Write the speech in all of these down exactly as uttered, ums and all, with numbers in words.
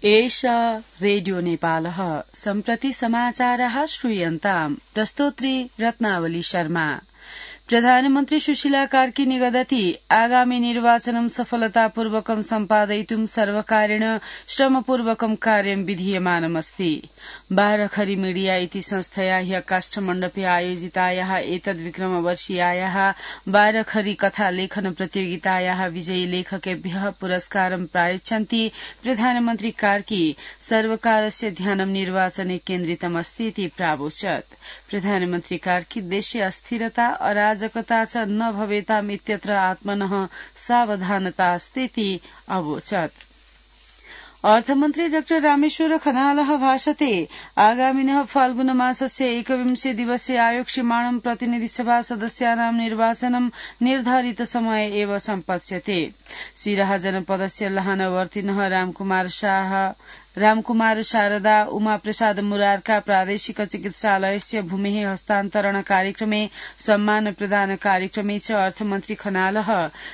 एषा रेडियो नेपालः सम्प्रति समाचारः श्रूयन्ताम् प्रस्तोत्री रत्नावली शर्मा। प्रधानमन्त्री सुशीला कार्की निगदति आगामी निर्वाचनं सफलतापूर्वकं सम्पादयितुं सर्वकारेण श्रमपूर्वकं कार्यं विधीयमानमस्ति। बारखरी मीडिया इति संस्थया ह्य काष्ठमण्डपे आयोजितायाः एतद्विक्रमवर्षीयायाः बारखरी कथा लेखन प्रतियोगितायाः विजयी लेखकेभ्यः पुरस्कारं प्रायच्छन्ति प्रधानमन्त्री कार्की सर्वकारस्य ध्यानं निर्वाचने केन्द्रितमस्ति इति प्रावोचत्। प्रधानमन्त्री कार्की देशे अस्थिरता अराजकता च न भवेताम् इत्यत्र आत्मनः सावधानता अस्तीति अवोचत्। अर्थमन्त्री डाक्टर रामेश्वर खनालः भाषते आगामिनः फाल्गुनमासस्य एकविंशे दिवसे आयोक्ष्यमाणं प्रतिनिधिसभा सदस्यानां निर्वाचनं निर्धारित समय एव सम्पत्स्यते। सिराहा जनपदस्य लहानवर्तिनः रामकुमार शाह रामकुमार शारदा उमाप्रसाद मुरारका प्रादेशिक चिकित्सालयस्य भूमेः हस्तान्तरण कार्यक्रमे सम्मान प्रदान कार्यक्रमे च अर्थमन्त्री खनालः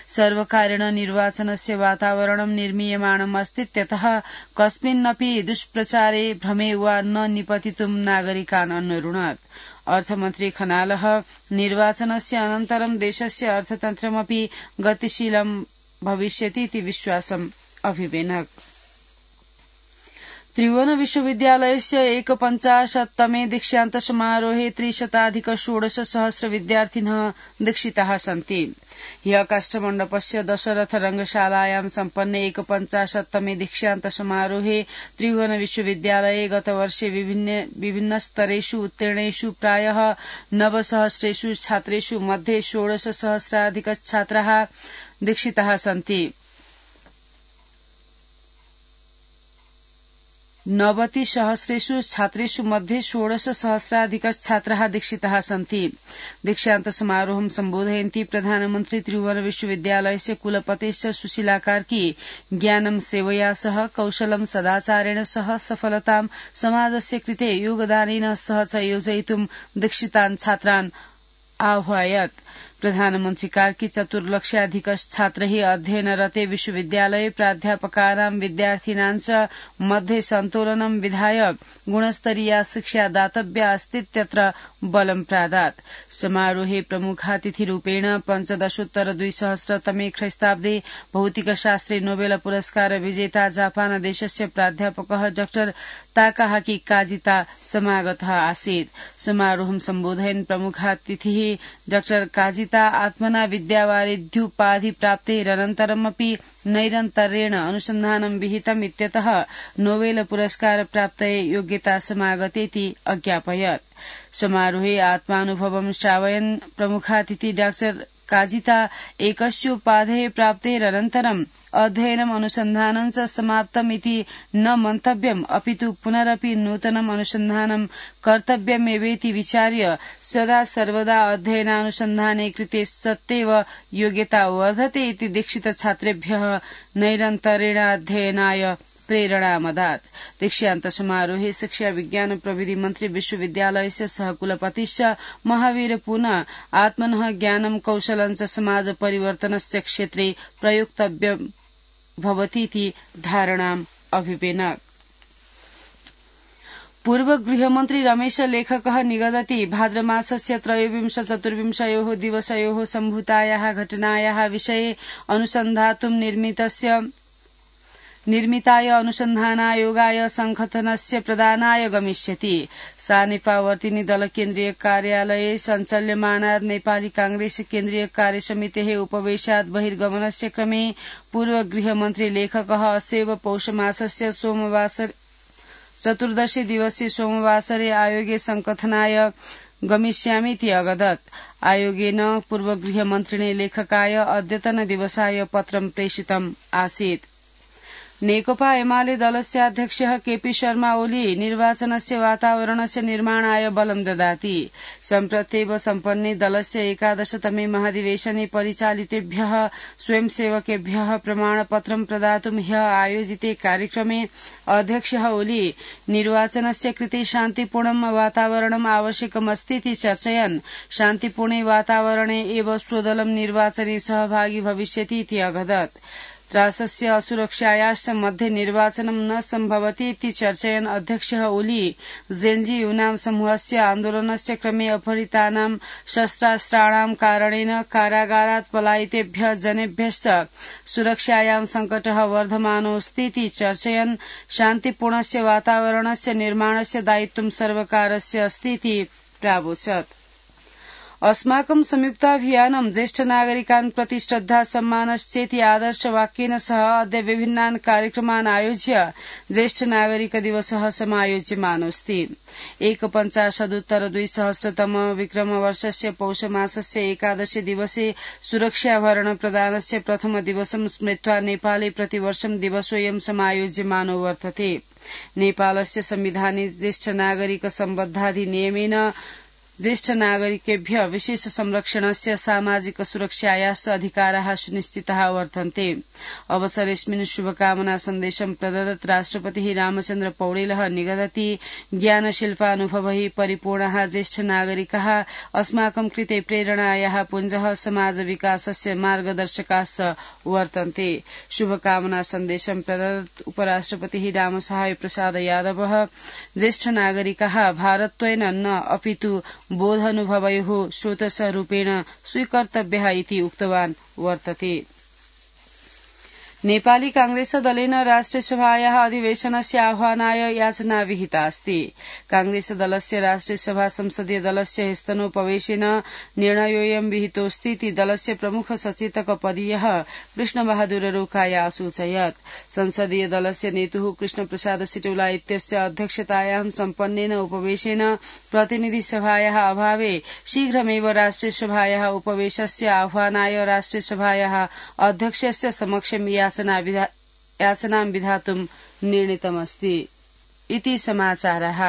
सर्वकारेण निर्वाचनस्य वातावरणं निर्मीयमाणम् अस्तीत्यतः कस्मिन्नपि दुष्प्रचारे भ्रमे वा न निपतितुं नागरिकान् अन्वरुणत्। अर्थमन्त्री खनालः निर्वाचनस्य अनन्तरं देशस्य अर्थतन्त्रमपि गतिशीलं भविष्यति इति विश्वासम् अभिवेनक्। त्रिभुवन विश्वविद्यालयस्य एकपञ्चाशत्तमे दीक्षान्त समारोहे त्रिशताधिक षोडश सहस्र विद्यार्थिनः दीक्षिताः सन्ति। ह्यः काष्ठमण्डपस्य दशरथ रंगशालायां सम्पन्ने एकपञ्चाशत्तमे दीक्षान्त समारोहे त्रिभुवन विश्वविद्यालये गतवर्षे विभिन्न विभिन्न स्तरेषु उत्तीर्णेषु प्रायः नवसहस्रेषु छात्रेषु मध्ये षोडश सहस्राधिक छात्राः दीक्षिताः सन्ति। नवति सहस्रेषु छात्रेषु मध्ये षोडश सहस्राधिक छात्राः दीक्षिताः सन्ति। दीक्षान्त समारोहं सम्बोधयन्ती प्रधानमन्त्री त्रिभुवन विश्वविद्यालयस्य कुलपतेश्च सुशीला कार्की ज्ञानं सेवया सह कौशलं सदाचारेण सह सफलतां समाजस्य कृते योगदानेन सह च योजयितुं दीक्षितान् छात्रान् आह्वयत्। प्रधानमन्त्री कार्की चतुर्लक्षाधिक छात्रैः अध्ययनरते विश्वविद्यालये प्राध्यापकानां विद्यार्थिनां च मध्ये सन्तोलनं विधाय गुणस्तरीया शिक्षा दातव्या अस्तीत्यत्र बलं प्रादात्। समारोहे प्रमुखातिथिरूपेण पञ्चदशोत्तर द्विसहस्रतमे ख्रीष्टाब्दे भौतिकशास्त्रे नोबेल पुरस्कार विजेता जापान देशस्य प्राध्यापकः डाक्टर ताकाहाकी काजिता समागतः आसीत्। समारोहं सम्बोधयन् प्रमुखातिथिः डाक्टर काजिता आत्मना विद्यावारिध्युपाधि प्राप्तेरनन्तरमपि नैरन्तर्येण अनुसन्धानं विहितम् इत्यतः नोबेल पुरस्कार प्राप्तये योग्यता समागतेति अज्ञापयत्। समारोहे आत्मानुभवं श्रावयन् प्रमुखातिथि डाक्टर काजिता एकस्योपाधेः प्राप्तेरनन्तरम् अध्ययनम् अनुसन्धानं च समाप्तम् इति न मन्तव्यम् अपितु पुनरपि नूतनम् अनुसन्धानं कर्तव्यमेवेति विचार्य सदा सर्वदा अध्ययनानुसन्धाने कृते सत्येव योग्यता वर्धते इति दीक्षित छात्रेभ्यः नैरन्तर्येण अध्ययनाय प्रेरणामदात्। दीक्षान्त समारोहे शिक्षा विज्ञान प्रविधि मन्त्री विश्वविद्यालयस्य सहकुलपतिश्च महावीर पुनः आत्मनः ज्ञानं कौशलं च समाज परिवर्तनस्य क्षेत्रे प्रयोक्तव्यं भवतीति धारणाम् अभिवेनक्। पूर्व गृहमन्त्री रमेश लेखकः निगदति भाद्रमासस्य त्रयोविंश चतुर्विंशयोः दिवसयोः सम्भूतायाः घटनायाः विषये अनुसन्धातुं निर्मितस्य निर्मिताय अनुसन्धानायोगाय संघटनस्य प्रदानाय गमिष्यति। सा नेपावर्तिनी दल केन्द्रीय कार्यालये सञ्चाल्यमानात् नेपाली कांग्रेस केन्द्रीय कार्यसमितेः उपवेशात् बहिर्गमनस्य क्रमे पूर्व गृहमन्त्री लेखकः अस्यैव पौषमासस्य सोमवासर चतुर्दशे दिवसे सोमवासरे आयोगे संकथनाय गमिष्यामीति अवदत्। आयोगेन पूर्व गृहमन्त्रिणे लेखकाय अद्यतन दिवसाय पत्रं प्रेषितम् आसीत्। नेकपा एमाले दलस्य अध्यक्षः केपी शर्मा ओली निर्वाचनस्य वातावरणस्य निर्माणाय बलं ददाति। सम्प्रत्येव सम्पन्ने दलस्य एकादशतमे महाधिवेशने परिचालितेभ्यः स्वयंसेवकेभ्यः प्रमाणपत्रं प्रदातुं ह्यः आयोजिते कार्यक्रमे अध्यक्षः ओली निर्वाचनस्य कृते शान्तिपूर्णं वातावरणम् आवश्यकमस्तीति चर्चयन् शान्तिपूर्णे वातावरणे एव स्वदलं निर्वाचने सहभागी भविष्यति इति अवदत्। त्रासस्य असुरक्षायाश्च मध्ये निर्वाचनं न सम्भवति इति चर्चयन् अध्यक्षः ओली जेन्जी यूनां समूहस्य आन्दोलनस्य क्रमे अपहृतानां शस्त्रास्त्राणां कारणेन कारागारात् पलायितेभ्यः जनेभ्यश्च सुरक्षायां संकटः वर्धमानोऽस्ति इति चर्चयन् शान्तिपूर्णस्य वातावरणस्य निर्माणस्य दायित्वं सर्वकारस्य अस्ति इति प्रावोचत्। अस्माकं संयुक्ताभियानं ज्येष्ठ नागरिकान् प्रति श्रद्धा सम्मानश्चेति आदर्शवाक्येन सह अद्य विभिन्नान् कार्यक्रमान् आयोज्य ज्येष्ठ नागरिक दिवसः समायोज्यमानोऽस्ति। एकपञ्चाशदुत्तर द्विसहस्रतम विक्रमवर्षस्य पौषमासस्य एकादशे दिवसे सुरक्षाभरण प्रदानस्य प्रथम दिवसं स्मृत्वा नेपाले प्रतिवर्षं दिवसोऽयं समायोज्यमानो वर्तते। नेपालस्य संविधाने ज्येष्ठ नागरिक सम्बद्धाधिनियमेन ज्येष्ठ नागरिकेभ्य विशेष संरक्षणस्य सामाजिक सुरक्षायाश्च अधिकाराः सुनिश्चिताः वर्तन्ते। अवसरेऽस्मिन् शुभकामना सन्देशं प्रददत् राष्ट्रपतिः रामचन्द्र पौडेलः निगदति ज्ञानशिल्पानुभवैः परिपूर्णाः ज्येष्ठ नागरिकाः अस्माकं कृते प्रेरणायाः पुञ्जः समाज विकासस्य मार्गदर्शकाश्च वर्तन्ते। शुभकामना सन्देशं प्रददत् उपराष्ट्रपतिः रामसहाय प्रसाद यादवः ज्येष्ठ नागरिकाः भारत्वेन न अपितु बोधानुभवयोः स्रोतस्वरूपेण स्वीकर्तव्यः इति उक्तवान् वर्तते। नेपाली कांग्रेस दलेन राष्ट्रियसभायाः अधिवेशनस्य आह्वानाय याचना विहिता अस्ति। कांग्रेस दलस्य राष्ट्रियसभा संसदीय दलस्य ह्यस्तनोपवेशेन निर्णयोऽयं विहितोऽस्ति इति दलस्य प्रमुख सचेतक पदीयः कृष्णबहादुर रोकाय असूचयत्। संसदीय दलस्य नेतुः कृष्णप्रसाद सिटौला इत्यस्य अध्यक्षतायां सम्पन्नेन उपवेशेन प्रतिनिधि सभायाः अभावे शीघ्रमेव राष्ट्रियसभायाः उपवेशस्य आह्वानाय राष्ट्रियसभायाः अध्यक्षस्य समक्षं याचनां विधातुं निर्णीतमस्ति इति समाचारः।